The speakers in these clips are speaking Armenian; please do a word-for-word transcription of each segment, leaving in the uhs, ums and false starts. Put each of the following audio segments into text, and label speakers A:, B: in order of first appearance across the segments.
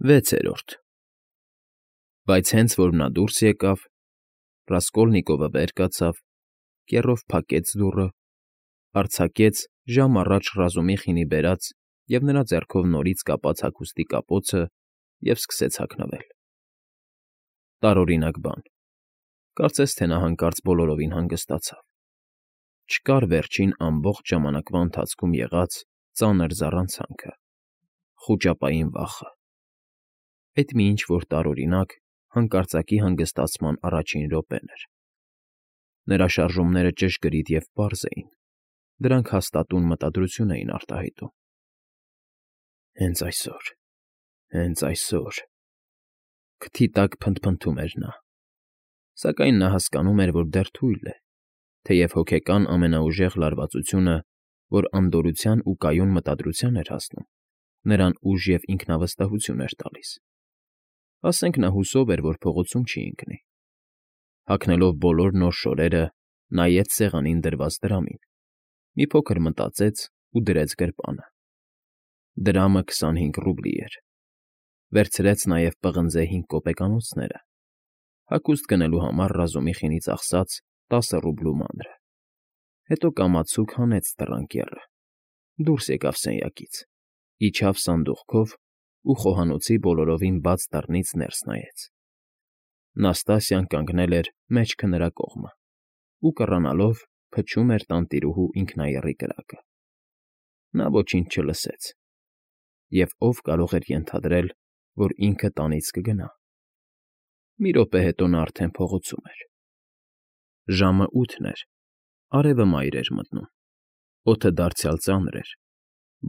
A: Վեցերորդ Բայց հենց որ նա դուրս եկավ, Ռասկոլնիկովը վեր կացավ, կեռով փակեց դուռը, արձակեց ժամ առաջ Ռազումիխինի բերած և նրա ձեռքով նորից կապած հագուստի կապոցը և սկսեց հագնվել. տարօրինակ բան, կարծես թե նա հանկարծ բոլորովին հանգստացավ, չկար վերջին ամբողջ ժամանակվա ընթացքում եղած ծանր զառանցանքը, խուճապային վախը, այդ մի ինչ֊որ տարօրինակ, հանկարծակի հանգստացման առաջին րոպեն էր. նրա շարժումները ճշգրիտ և պարզ էին, դրանք հաստատուն մտադրություն էին արտահայտում։ Հենց այսօր, հենց այսօր… Քթի տակ փնթփնթում էր նա, սակայն նա հասկանում էր, որ դեռ թույլ է, թեև հոգեկան ամենաուժեղ լարվածությունը, որ անդորրության ու կայուն մտադրության էր հասնում, նրան ուժ և ինքնավստահություն էր տալիս։ Ասենք նա հուսով էր, որ փողոցում չի ընկնի։ Հագնելով բոլոր նոր շորերը, նայեց սեղանին դրված դրամին, մի փոքր մտածեց ու դրեց գրպանը. դրամը քսանհինգ ռուբլի էր, վերցրեց նաև պղնձե հինգ կոպեկանոցները, հագուստ գնելու համար Ռազումիխինից ծախսած տասը ռուբլու մանրը, հետո կամացուկ հանեց դռան կեռը, դուրս եկավ սենյակից, իջավ սանդուղքով ու խոհանոցի բոլորովին բաց դռնից ներս նայեց. Նաստասիան կանգնել էր մեջքը նրա կողմը ու, կռանալով, փչում էր տանտիրուհու ինքնաեռի կրակը։ Նա ոչինչ չլսեց, և ով կարող էր ենթադրել, որ ինքը տանից կգնա։ Մի րոպե հետո նա արդեն փողոցում էր։ Ժամը ութն էր, արևը մայր էր մտնում, օդը դարձյալ ծանր էր,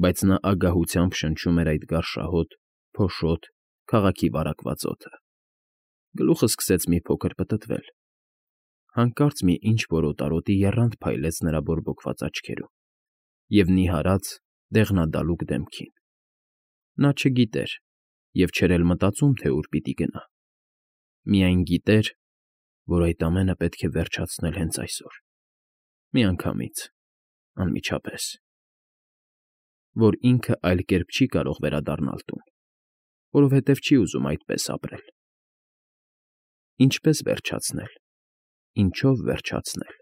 A: բայց նա ագահությամբ շնչում էր այդ գարշահոտ, փոշոտ, քաղաքի վարակված օդը։ Գլուխը սկսեց մի փոքր պտտվել։ Հանկարծ մի ինչ֊որ օտարոտի եռանդ փայլեց նրա բորբոքված աչքերում և նիհարած, դեղնադալուկ դեմքին։ Նա չգիտեր և չէր էլ մտածում, թե ուր պիտի գնա, միայն գիտեր, որ այդ ամենը պետք է վերջացնել հենց այսօր, միանգամից, անմիջապես, որ ինքը այլ կերպ չի կարող վերադառնալ տուն, որովհետև չի ուզում այդպես ապրել։ Ինչպե՞ս վերջացնել, ինչո՞վ վերջացնել…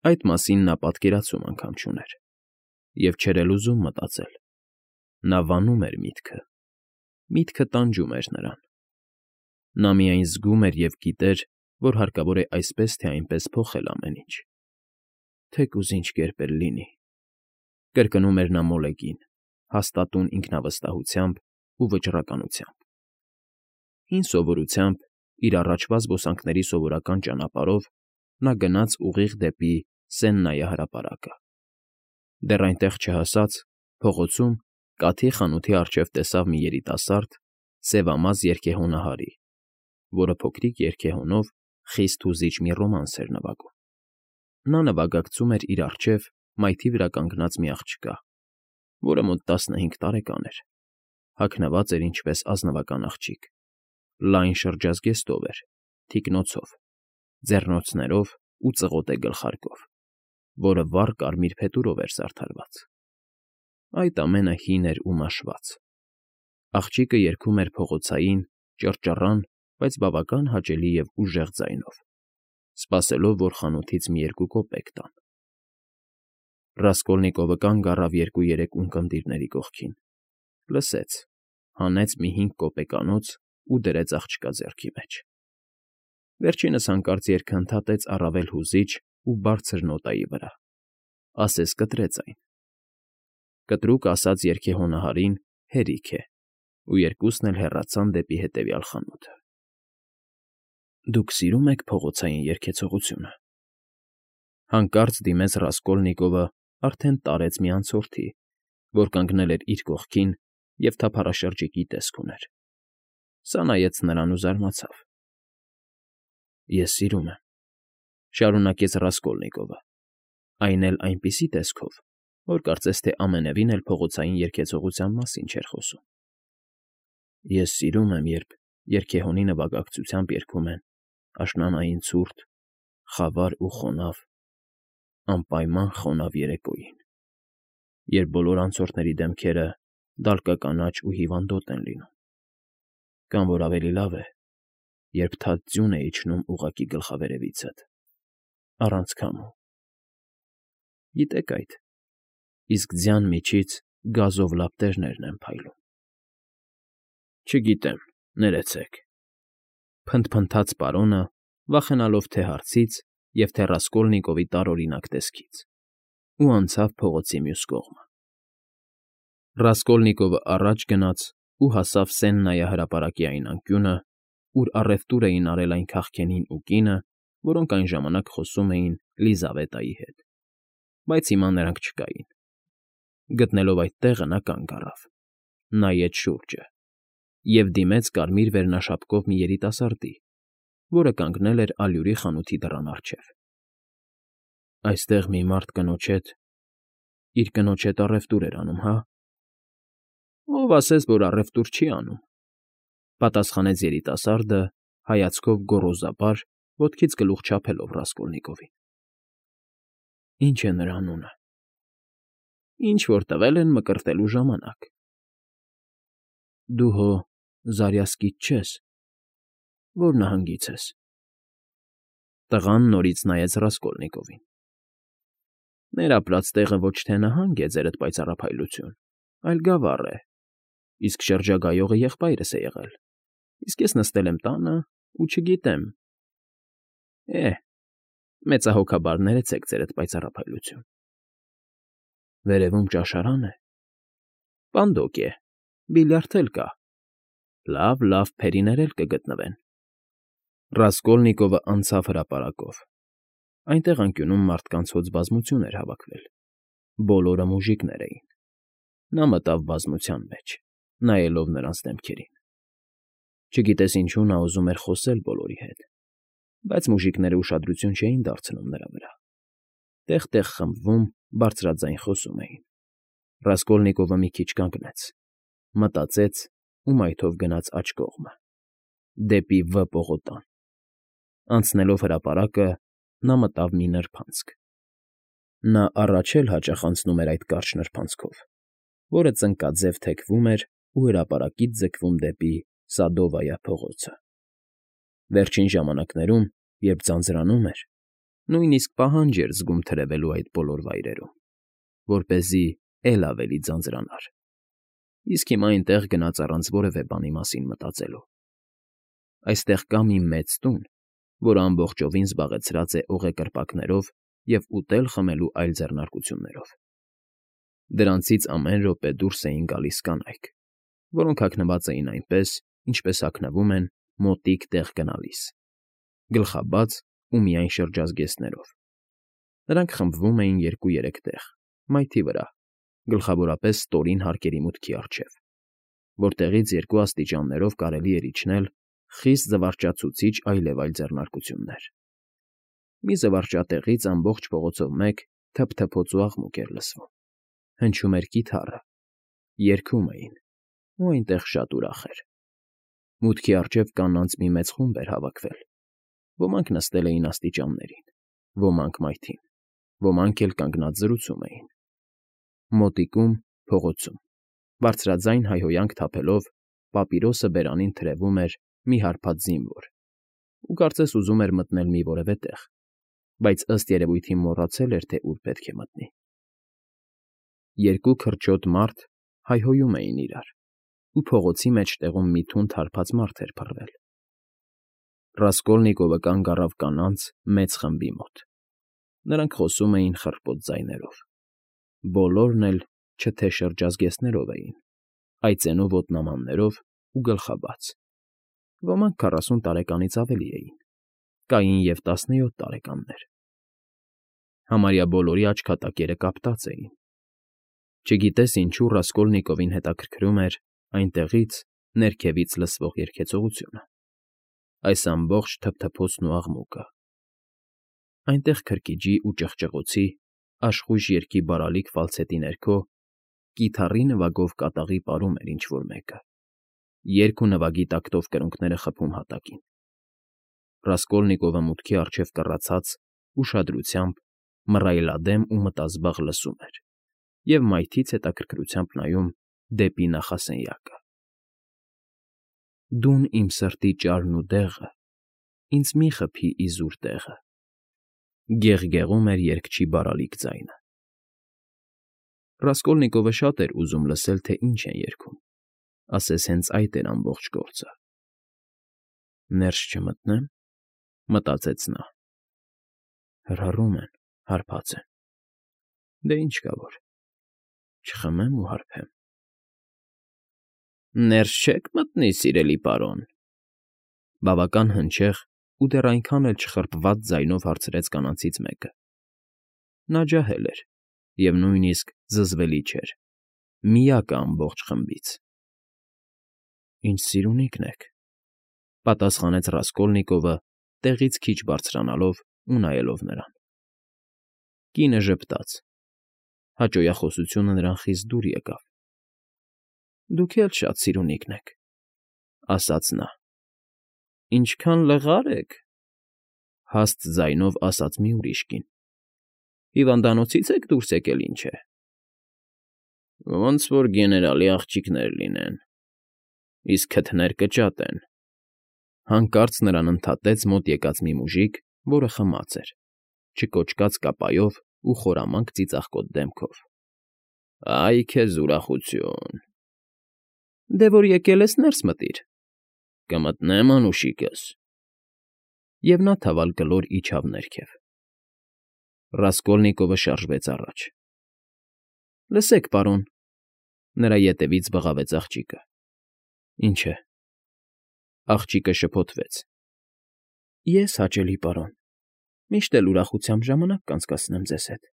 A: Այդ մասին նա պատկերացում անգամ չուներ և չէր էլ ուզում մտածել։ Նա վանում էր միտքը, միտքը տանջում էր նրան։ Նա միայն զգում էր և գիտեր, որ հարկավոր է այսպես թե այնպես փոխել ամեն ինչ։ Թեկուզ ինչ կերպ էլ լինի… կրկնում էր նա մոլեգին, հաստատուն ինքնավստահությամբ ու վճռականությամբ։ Հին սովորությամբ, իր առաջվա զբոսանքների սովորական ճանապարհով նա գնաց ուղիղ դեպի Սեննայի հրապարակը։ Դեռ այնտեղ չհասած, փողոցում, կաթի խանութի առջև տեսավ մի երիտասարդ, սևամազ երգեհոնահարի, որը փոքրիկ երգեհոնով խիստ հուզիչ մի ռոմանս էր նվագում։ Նա նվագակցում էր իր առջև մայթի վրա կանգնած մի աղջկա, որը մոտ տասնհինգ տարեկան էր, հագնված էր ինչպես ազնվական աղջիկ, լայն շրջազգեստով էր, թիկնոցով, ձեռնոցներով ու ծղոտե գլխարկով, որը վառ կարմիր փետուրով էր զարդարված։ Այդ ամենը հին էր ու մաշված։ Աղջիկը երգում էր փողոցային, ճռճռան, բայց բավական հաճելի և ուժեղ ձայնով, սպասելով, որ խանութից մի երկու կոպեկ տան։ Ռասկոլնիկովը կանգ առավ երկու֊երեք ունկնդիրների կողքին, լսեց, հանեց մի հինգ կոպեկանոց ու դրեց աղջկա ձեռքի մեջ։ Վերջինս հանկարծ երգը ընդհատեց առավել հուզիչ ու բարձր նոտայի վրա, ասես կտրեց այն։ Կտրուկ ասած երգեհոնահարին հերիք է, ու երկուսն էլ հեռացան դեպի հետևյալ խանութը։ Դուք սիրո՞ւմ եք փողոցային երգեցողությունը… Հանկարծ դիմեց Ռասկոլնիկովը արդեն տարեց մի անցորդի, որ կանգնել էր իր կողքին և թափառաշրջիկի տեսք ուներ։ Սա նայեց նրան ու զարմացավ։ Ես սիրում եմ,֊ շարունակեց Ռասկոլնիկովը, այն էլ այնպիսի տեսքով, որ կարծես թե ամենևին էլ փողոցային երգեցողության մասին չէր խոսում։ Ես սիրում եմ, երբ երգեհոնի նվագակցությամբ երգում են աշնանային ցուրտ, խավար ու խոնավ, անպայման խոնավ երեկոյին, երբ բոլոր անցորդների դեմքերը դալկականաչ ու հիվանդոտ են լինում, Կամ որ ավելի լավ է, երբ թաց ձյուն է իջնում ուղղակի գլխավերևիցդ, առանց քամու։ Գիտեք այդ, իսկ ձյան միջից գազով լապտերներն են փայլում։ Չգիտեմ, ներեցեք,֊ փնթփնթաց պարոնը, վախենալով թե հարցից և թե Ռասկոլնիկովի տարօրինակ տեսքից, ու անցավ փողոցի մյուս կողմը։ Ռասկոլնիկովը առաջ գնաց ու հասավ Սեննայի այն անկյունը, ուր առևտուր էին արել այն քաղքենին ու կինը, որոնք այն ժամանակ խոսում էին Լիզավետայի հետ, բայց հիմա նրանք չկային։ Գտնելով այդ տեղը նա կանգ առավ, նայեց շուրջը և դիմեց կարմիր վերնաշապկով մի երիտասարդի, որը կանգնել էր ալյուրի խանութի դռան առջև։ «Այստեղ մի մարդ կնոջ հետ… իր կնոջ հետ առևտուր էր անում, հա՞»։ «Ով ասեց, որ առևտուր չի անում,֊ պատասխանեց երիտասարդը, հայացքով գոռոզապար, ոտքից գլուխ չափելով Ռասկոլնիկովին։ «Ի՞նչ է նրա անունը»։ «Ինչ որ տվել են մկրտելու ժամանակ»։ «Դու հո Զարյասկից չես, ո՞ր նահանգից ես»։ Տղան նորից նայեց Ռասկոլնիկովին։ «Մեր ապրած տեղը ոչ թե նահանգ է, ձերդ պայծառափայլություն, այլ գավառ է, իսկ շրջագայողը եղբայրս է եղել, իսկ ես նստել եմ տանը ու չգիտեմ…» Է՜, մեծահոգաբար ներեցեք, ձերդ պայծառափայլություն։ «Վերևում ճաշարան է»։ «Պանդոկ է, բիլիարդ էլ կա։ Լավ, լավ, փերիներ էլ կգտնվեն»։ Ռասկոլնիկովը անցավ հրապարակով։ Այնտեղ անկյունում մարդկանց հոծ բազմություն էր հավաքվել, բոլորը մուժիկներ էին։ Նա մտավ բազմության մեջ, նայելով նրանց դեմքերին։ Չգիտես ինչու նա ուզում էր խոսել բոլորի հետ, բայց մուժիկները ուշադրություն չէին դարձնում նրա վրա, տեղ֊տեղ խմբվում, բարձրաձայն խոսում էին։ Ռասկոլնիկովը մի քիչ կանգնեց, մտածեց ու մայթով գնաց աջ կողմը, դեպի Վ պողոտան։ Անցնելով հրապարակը՝ նա մտավ մի նրբանցք։ Նա առաջ էլ հաճախ անցնում էր այդ կարճ նրբանցքով, որը ծնկաձև թեքվում էր ու հրապարակից ձգվում դեպի Սադովայա փողոցը։ Վերջին ժամանակներում, երբ ձանձրանում էր, նույնիսկ պահանջ էր զգում թրևելու այդ բոլոր վայրերում, որպեսզի էլ ավելի ձանձրանար, իսկ հիմա այնտեղ գնաց առանց որևէ բանի մասին մտածելու։ Այստեղ կա մի մեծ տուն, որը ամբողջովին զբաղեցրած է օղեկրպակներով և ուտել֊խմելու այլ ձեռնարկություններով։ Դրանցից ամեն րոպե դուրս էին գալիս կանայք, որոնք հագնված էին այնպես, ինչպես հագնվում են մոտիկ տեղ գնալիս, գլխաբաց ու միայն շրջազգեստներով։ Նրանք խմբվում էին երկու֊երեք տեղ, մայթի վրա, գլխավորապես ստորին հարկերի մուտքի առջև, որտեղից երկու աստիճաններով կարելի էր իջնել խիստ զվարճացուցիչ այլևայլ ձեռնարկություններ։ Մի զվարճատեղից ամբողջ փողոցով մեկ թփթփոց ու աղմուկ էր լսվում, հնչում էր կիթառը, երգում էին, ու այնտեղ շատ ուրախ էր։ Մուտքի առջև կանանց մի մեծ խումբ էր հավաքվել, ոմանք նստել էին աստիճաններին, ոմանք մայթին, ոմանք էլ կանգնած զրուցում էին։ Մոտիկում, փողոցում, բարձրաձայն հայհոյանք թափելով, պապիրոսը բերանին թրևում էր մի հարբած զինվոր ու կարծես ուզում էր մտնել մի որևէ տեղ, բայց ըստ երևույթին մոռացել էր, թե ուր պետք է մտնի։ Երկու քրչոտ մարդ հայհոյում էին իրար, ու փողոցի մեջտեղում մի թունդ հարբած մարդ էր փռվել։ Ռասկոլնիկովը կանգ առավ կանանց մեծ խմբի մոտ։ Նրանք խոսում էին խռպոտ ձայներով։ Բոլորն էլ չէ թե շրջազգեստներով էին, այծենու ոտնամաններով ու գլխաբաց։ Ոմանք քառասուն տարեկանից ավելի էին, կային և տասնյոթ տարեկաններ։ Համարյա բոլորի աչքատակերը կապտած էին։ Չգիտես ինչու Ռասկոլնիկովին հետաքրքրում էր այնտեղից ներքևից լսվող երգեցողությունը, այս ամբողջ թփթփոցն ու աղմուկը։ Այնտեղ քրքիջի ու ճղճղոցի, աշխույժ երգի բարալիկ ֆալցետի ներքո կիթառի նվագով կատաղի պարում էր ինչ֊որ մեկը, երգ ու նվագի տակտով կրունկները խփում հատակին։ Ռասկոլնիկովը մուտքի առջև կռացած, ուշադրությամբ, մռայլադեմ ու մտազբաղ լսում էր և մայթից հետաքրքրությամբ նայում դեպի նախասենյակը։ Դուն իմ սրտի ճարն ու դեղը, ինձ մի խփի իզուր տեղը, գեղգեղում էր երգչի բարալիկ ձայնը։ Ռասկոլնիկովը շատ էր ուզում լսել, թե ինչ են երգում, ասես հենց այդ էր ամբողջ գործը։ «Ներս չմտնե՞մ,֊ մտածեց նա։ Հրհռում են, հարբած են։ Դե ինչ կա որ, չխմեմ ու հարբեմ»։ «Ներս չե՞ք մտնի, սիրելի պարոն,֊ բավական հնչեղ ու դեռ այնքան էլ չխրպված ձայնով հարցրեց կանանցից մեկը։ Նա ջահել էր և նույնիսկ զզվելի չէր, միակը ամբողջ խմբից։ «Ինչ սիրունիքն եք,֊ պատասխանեց Ռասկոլնիկովը, տեղից քիչ բարձրանալով ու նայելով նրան։ Կինը ժպտաց։ Հաճոյախոսությունը նրան խիստ դուր եկավ։ «Դուք էլ շատ սիրունիքն եք,֊ ասաց նա։ Ինչքան լղար եք,֊ հաստ ձայնով ասաց մի ուրիշ կին։ Հիվանդանոցի՞ց եք դուրս եկել, ինչ է։ Ոնց որ գեներալի աղջիկներ լինեն, իսկ քթներ կճատ են,֊ հանկարծ նրան ընդհատեց մոտ եկած մի մուժիկ, որը խմած էր, չկոճկած կապայով ու խորամանկ ծիծաղկոտ դեմքով։ Այ քեզ ուրախություն… Դե որ եկել ես, ներս մտիր։ Կմտնեմ, անուշիկս։ Եվ նա թավալ կլոր իջավ ներքև։ Ռասկոլնիկովը շարժվեց առաջ։ Լսեք, պարոն,֊ նրա ետևից բղավեց աղջիկը։ Ինչ է։ Աղջիկը շփոթվեց։ Ես, հաճելի պարոն, միշտ էլ ուրախությամբ ժամանակ կանցկացնեմ ձեզ հետ,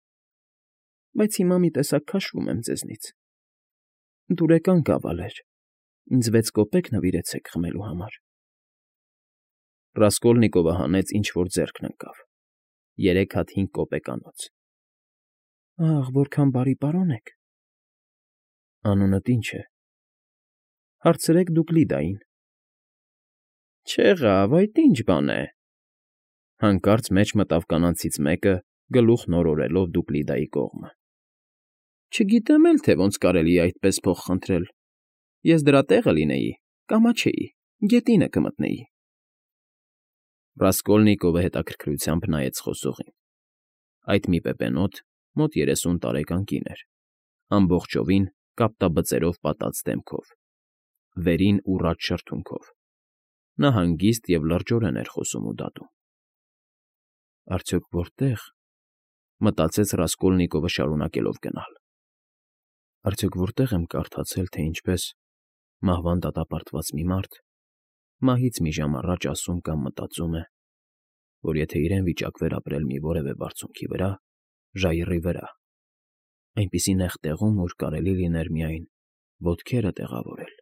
A: բայց հիմա մի տեսակ քաշվում եմ ձեզնից։ Դուրեկան գավալ էր, ինձ վեց կոպեկ նվիրեցեք խմելու համար։ Ռասկոլնիկովը հանեց ինչ֊որ ձեռքն ընկավ. երեք հատ հինգ կոպեկանոց։ Ահ, որքան բարի պարոն եք։ Անունդ ինչ է։ Հարցրեք դուք Լիդային։ Չեղավ, այդ ինչ բան է։ Հանկարծ մեջ մտավ կանանցից մեկը, գլուխ նորորելով Դուկլիդայի կողմը։ Չգիտեմ էլ, թե ոնց կարելի է այդպես փող խնդրել։ Ես դրա տեղը լինեի, կամաչեի, գետինը կմտնեի։ Ռասկոլնիկովը հետաքրքրությամբ նայեց խոսողին։ Այդ մի պեպենոտ, մոտ երեսուն տարեկան կին էր, ամբողջովին կապտաբծերով պատած դեմքով, վերին ուռած շրթունքով։ Նա հանգիստ և լրջորեն էր խոսում ու դատում։ Արդյոք որտե՞ղ,֊ մտածեց Ռասկոլնիկովը շարունակելով գնալ։ Արդյոք որտե՞ղ եմ կարդացել, թե ինչպես մահվան դատապարտված մի մարդ մահից մի ժամ առաջ ասում կամ մտածում է, որ եթե իրեն վիճակվեր ապրել մի որևէ բարձունքի վրա, ժայռի վրա, այնպիսի նեղ տեղում, որ կարելի լիներ միայն ոտքերը տեղավորել,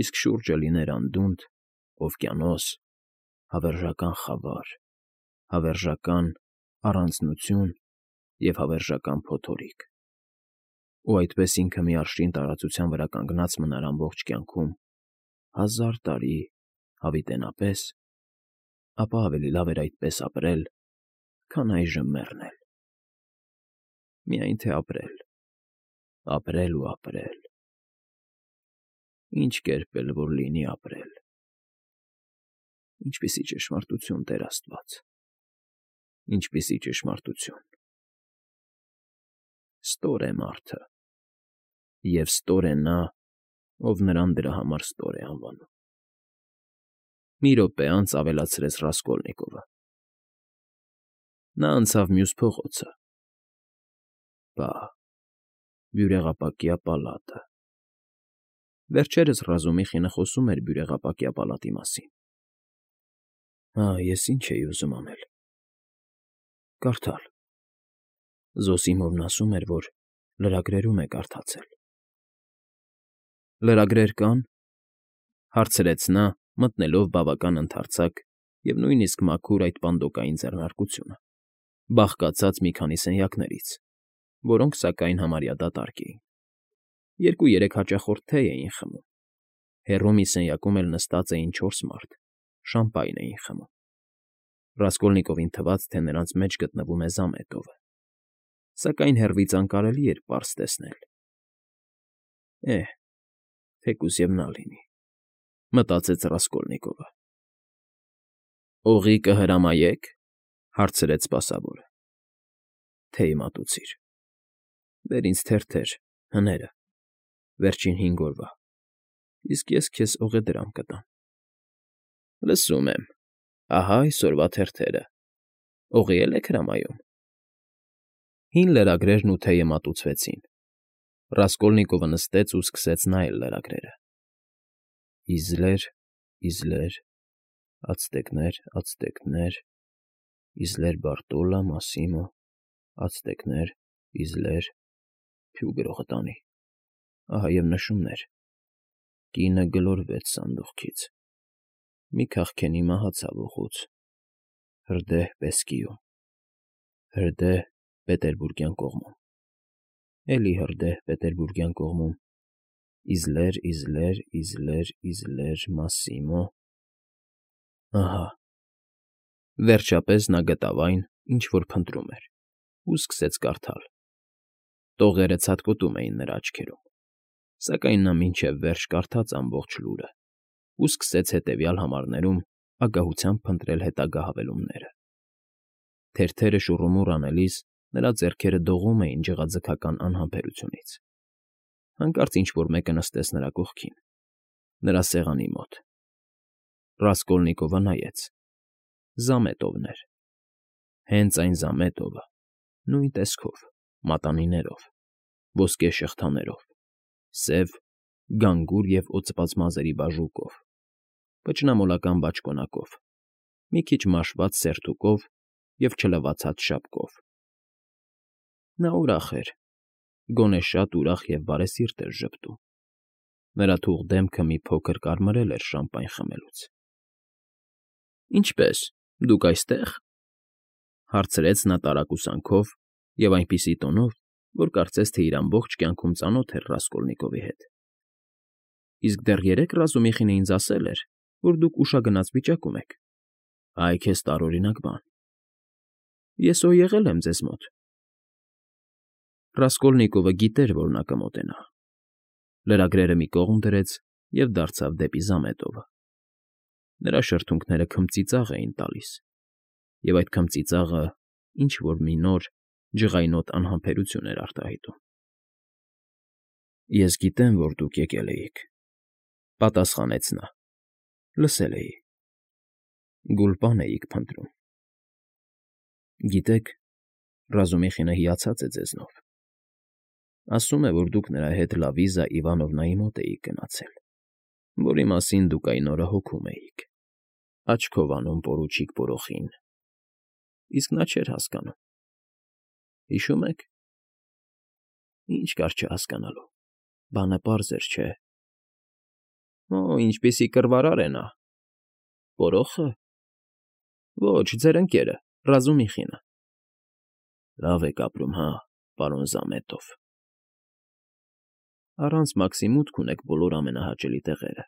A: իսկ շուրջը լիներ անդունդ, օվկիանոս, հավերժական խավար, հավերժական առանձնություն և հավերժական փոթորիկ, ու այդպես ինքը մի արշին տարածության վրա կանգնած մնար ամբողջ կյանքում, հազար տարի հավիտենապես, ապա ավելի լավ էր այդպես ապրել, քան այժմ մեռնել։ Միայն թե ապրել, ապրել ու ապրել… Ինչ կերպ էլ որ լինի ապրել… Ինչպիսի ճշմարտություն, Տեր աստված… Ինչպիսի ճշմարտություն… Ստոր է մարդը, և ստոր է նա, ով նրան դրա համար ստոր է անվանում։ Մի րոպե անց ավելացրեց Ռասկոլնիկովը։ Նա անցավ մյուս փողոցը։ Բա… բյուրեղապակյա պալատը… Վերջերս Ռազումիխինը խոսում էր բյուրեղապակյա պալատի մասին։ Հա, ես ինչ էի ուզում անել… Կարդալ… Զոսիմովն ասում էր, որ լրագրերում է կարդացել։ Լրագրեր կա՞ն,֊ հարցրեց նա, մտնելով բավական ընդարձակ և նույնիսկ մաքուր այդ պանդոկային ձեռնարկությունը, բաղկացած մի քանի սենյակներից, որոնք, սակայն, համարյա դատարկ էին։ Երկու֊երեք հաճախորդ թեյ էին խմում։ Հեռու մի սենյակում էլ նստած էին չորս մարդ, շամպայն էին խմում։ Ռասկոլնիկովին թվաց, թե նրանց մեջ գտնվում է զամետովը, սակայն հեռվից անկարելի էր պարզ տեսնել։ Էհ, թեկուզ և նա լինի, մտածեց Ռասկոլնիկովը։ Օղի կհրամայե՞ք,֊ հարցրեց սպասավորը։ Թեյ մատուցիր։ Բեր ինձ թերթեր, հները, վերջին հինգ օրվա, իսկ ես քեզ օղեդրամ կտամ։ Լսում եմ, ահա այսօրվա թերթերը, օղի էլ եք հրամայում։ Հին լրագրերն ու թեյը մատուցվեցին։ Ռասկոլնիկովը նստեց ու սկսեց նայել լրագրերը։ Իզլեր, իզլեր, ացտեկներ, ացտեկներ, իզլեր Բարտոլա, Մասիմո, ացտեկներ, իզլեր, փյու գրողը տանի, ահա և նշումներ, կինը գլորվեց սանդուղքից, մի քաղքենի մահացավ ուղուց, հրդեհ Պեսկիում, հրդեհ Պետերբուրգյան կողմում, էլի հրդեհ Պետերբուրգյան կողմում, իզլեր, իզլեր, իզլեր, իզլեր, Մասիմո, ահա… Վերջապես նա գտավ այն, ինչ որ փնտրում էր, ու սկսեց կարդալ։ Տողերը ցատկոտում էին նրա աչքերում, սակայն նա մինչև վերջ կարդաց ամբողջ լուրը ու սկսեց հետևյալ համարներում ագահությամբ փնտրել հետագա հավելումները։ Թերթերը շուռումուռ անելիս նրա ձեռքերը դողում էին ջղաձգական անհամբերությունից։ Հանկարծ ինչ֊որ մեկը նստեց նրա կողքին, նրա սեղանի մոտ։ Ռասկոլնիկովը նայեց. Զամետովն էր։ Հենց այն Զամետովը, նույն տեսքով, մատանիներով, ոսկե շղթաներով, սև, գանգուր և օծված մազերի բաժուկով, պճնամոլական բաճկոնակով, մի քիչ մաշված սերտուկով և չլվացած շապկով։ Նա ուրախ էր, գոնե շատ ուրախ և բարեսիրտ էր ժպտում։ Նրա թուխ դեմքը մի փոքր կարմրել էր շամպայն խմելուց։ ֊ Ինչպե՞ս, դուք այստեղ,֊ հարցրեց նա տարակուսանքով և այնպիսի տոնով, որ կարծես թե իր ամբողջ կյանքում ծանոթ էր Ռասկոլնիկովի հետ։ Իսկ դեռ երեկ Ռազումիխին ինձ ասել էր, որ դուք ուշագնաց վիճակում եք։ Այ քեզ տարօրինակ բան… Ես օ եղել եմ ձեզ մոտ… Ռասկոլնիկովը գիտեր, որ նա կմոտենա։ Լրագրերը մի կողմ դրեց և դարձավ դեպի Զամետովը։ Նրա շրթունքները քմծիծաղ էին տալիս, և այդ քմծիծաղը ինչ֊որ մի նոր, ջղայնոտ անհամբերություն էր արտահայտում։ ֊ Ես գիտեմ, որ դուք եկել էիք,֊ պատասխանեց նա։֊ Լսել էի… Գուլպան էիք փնտրում… Գիտեք, Ռազումիխինը հիացած է ձեզնով… Ասում է, որ դուք նրա հետ Լավիզա Իվանովնայի մոտ էիք գնացել, որի մասին դուք այն օրը հոգում էիք, աչքով անում պորուչիկ Բորոխին, իսկ նա չէր հասկանում… Հիշո՞ւմ եք… Ինչ կար չհասկանալու… Բանը պարզ էր, չէ՞… Օ՜, ինչպիսի կռվարար է նա… Պորոխը… Ոչ, ձեր ընկերը, Ռազումիխինը… Լավ եք ապրում, հա, պարոն Զամետով… Առանց Մաքսի մուտք ունեք բոլոր ամենահաճելի տեղերը…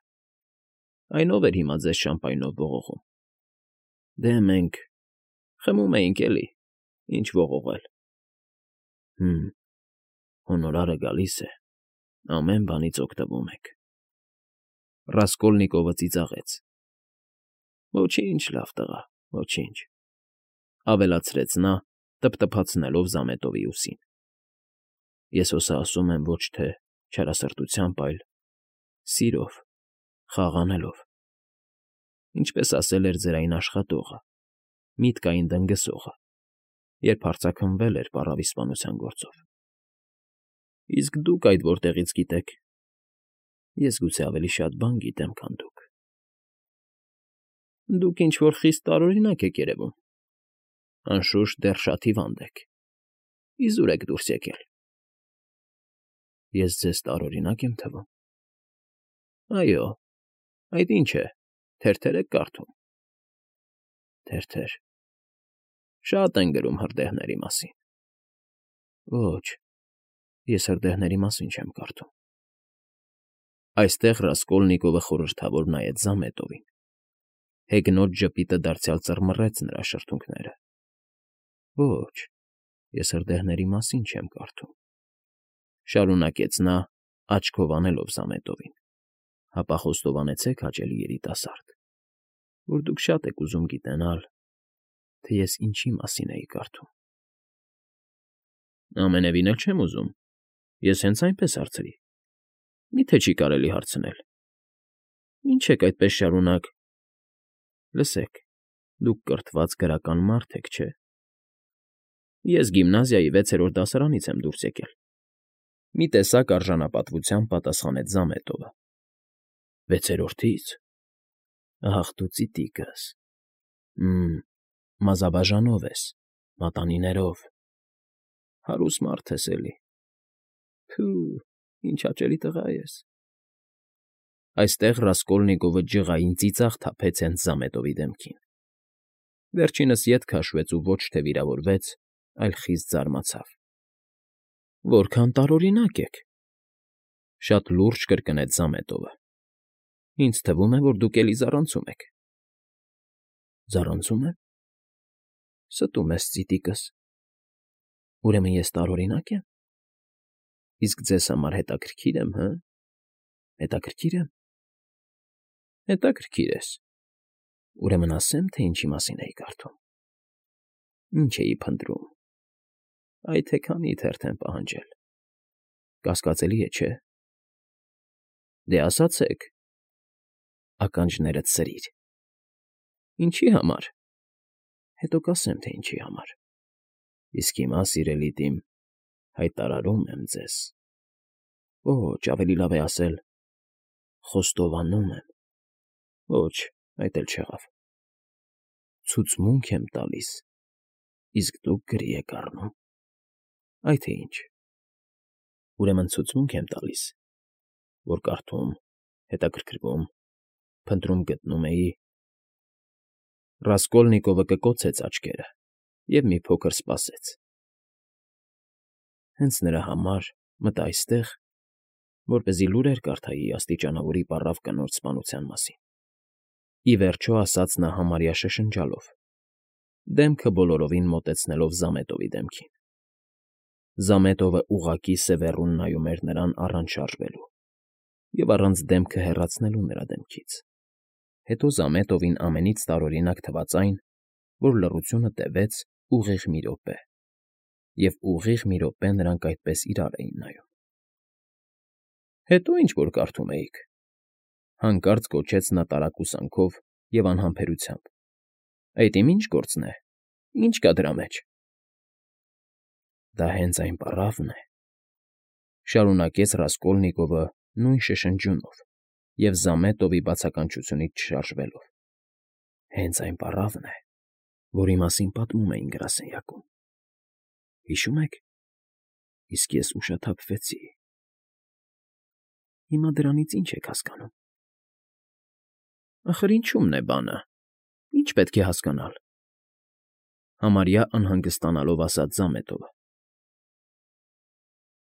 A: Այն ո՞վ էր հիմա ձեզ շամպայնով ողողում… Դե մենք… խմում էինք, էլի… Ինչ ողողել… Հը՜մ… Հոնորարը գալիս է… Ամեն բանից օգտվում եք… Ռասկոլնիկովը ծիծաղեց։ Ոչինչ, լավ տղա, ոչինչ,֊ ավելացրեց նա, տփտփացնելով Զամետովի ուսին։ Ես հո սա ասում եմ ոչ թե չարասրտությամբ, այլ… սիրով, խաղ անելով… Ինչպես ասել էր ձեր այն աշխատողը, միտքային դնգսողը, երբ հարձակվնվել էր պառավիստանության գործով… Իսկ դուք այդ որտեղից գիտեք… Ես գուցե ավելի շատ բան գիտեմ, քան դուք… Դուք ինչ֊որ խիստ տարօրինակ եք երևում… Անշուշտ, դեռ շատ հիվանդ եք… Իզուր եք դուրս եկել… Ես ձեզ տարօրինակ եմ թվում… Այո, այդ ինչ է, թերթեր եք կարդում… Թերթեր… Շատ են գրում հրդեհների մասին… Ոչ, ես հրդեհների մասին չեմ կարդում… Այստեղ Ռասկոլնիկովը խորհրդավոր նայեց Զամետովին… Հեգնոտ ժպիտը դարձյալ ծռմռեց նրա շրթունքները… Ոչ, ես հրդեհների մասին չեմ կարդում,֊ շարունակեց նա, աչքով անելով Զամետովին, Հապա խոստովանեցեք, հաճելի երիտասարդ, որ դուք շատ եք ուզում գիտենալ, թե ես ինչի մասին էի կարդում։ Ամենևին էլ չեմ ուզում, ես հենց այնպես հարցրի, մի՞թե չի կարելի հարցնել։ Ինչ եք այդպես շարունակ… Լսեք, դուք կրթված գրական մարդ եք, չէ՞։ Ես գիմնազիայի վեցերորդ դասարանից եմ դուրս եկել, մի տեսակ արժանապատվությամբ պատասխանեց Զամետովը։ Վեցերորդի՞ց… Ահ, դու ծիտիկս… Մմ, մազաբաժանով ես, մատանիներով… Հարուստ մարդ ես էլի… Թո՜ւ, ինչ հաճելի տղա ես… Այստեղ Ռասկոլնիկովը ջղային ծիծաղ թափեց հենց Զամետովի դեմքին, վերջինս ետ քաշվեց ու ոչ թե վիրավորվեց, այլ խիստ զարմացավ։ Որքան տարօրինակ եք… Շատ լուրջ կրկնեց Զամետովը։ Ինձ թվում է, որ դուք էլի զառանցում եք։ Զառանցում եմ… Ստում ես, ծիտիկս… Ուրեմն ես տարօրինակ եմ… Իսկ ձեզ համար հետաքրքիր եմ, հը՞… Հետաքրքիր եմ… Հետաքրքիր ես… Ուրեմն ասեմ, թե ինչի մասին էի կարդում… Ինչ էի փնտրում… Այ թե քանի թերթ եմ պահանջել… Կասկածելի է, չէ՞… Դե ասացեք… Ականջներդ սրիր… Ինչի համար… Հետո կասեմ, թե ինչի համար… Իսկ հիմա, սիրելի դիմ, հայտարարում եմ ձեզ… Ոչ, ավելի լավ է ասել… Խոստովանում եմ… Ոչ, այդ էլ չեղավ… Ցուցմունք եմ տալիս, իսկ դուք գրի եք առնում… Այ թե ինչ… Ուրեմն ցուցմունք եմ տալիս, որ կարդում, հետաքրքրվում, փնտրում գտնում էի… Ռասկոլնիկովը կկոցեց աչքերը և մի փոքր սպասեց… Հենց նրա համար մտա այստեղ, որպեսզի լուրեր կարդայի աստիճանավորի պառավ կնոջ սպանության մասին… Ի վերջո ասաց նա համարյա շշնջալով, դեմքը բոլորովին մոտեցնելով Զամետովի դեմքին… Զամետովը ուղղակի սևեռուն նայում էր նրան առանց շարժվելու և առանց դեմքը հեռացնելու նրա դեմքից… Հետո Զամետովին ամենից տարօրինակ թվաց այն, որ լռությունը տևեց ուղիղ մի րոպե, և ուղիղ մի րոպե նրանք այդպես իրար էին նայում… Հետո ինչ որ կարդում էիք… Հանկարծ գոչեց նա տարակուսանքով և անհամբերությամբ… Այդ իմ ի՞նչ գործն է… Ի՞նչ կա դրա մեջ… Դա հենց այն պառավն է… Շարունակեց Ռասկոլնիկովը նույն շշնջյունով և Զամետովի բացականչությունից չշարժվելով… Հենց այն պառավն է, որի մասին պատմում էին գրասենյակում… Հիշո՞ւմ եք… Իսկ ես ուշաթափվեցի… Հիմա դրանից ի՞նչ եք հասկանում… Ախր ինչու՞մն է բանը… Ի՞նչ պետք է հասկանալ… Համարյա անհանգստանալով ասաց Զամետովը։